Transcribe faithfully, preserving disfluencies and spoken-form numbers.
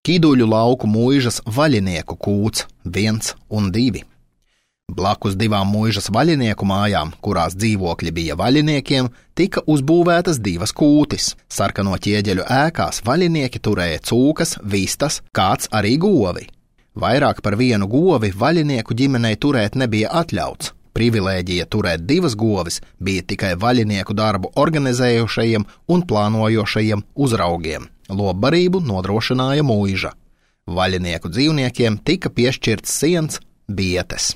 Kiduļu lauku muižas vaļinieku kūts viens un divi. Blakus divām muižas vaļinieku mājām, kurās dzīvokļi bija vaļiniekiem, tika uzbūvētas divas kūtis. Sarkano ķieģeļu ēkās vaļinieki turēja cūkas, vistas, kāds arī govi. Vairāk par vienu govi vaļinieku ģimenei turēt nebija atļauts. Privilēģija turēt divas govis bija tikai vaļinieku darbu organizējušajiem un plānojošajiem uzraugiem. Lopbarību nodrošināja muiža. Vaļinieku dzīvniekiem tika piešķirts siens, bietes.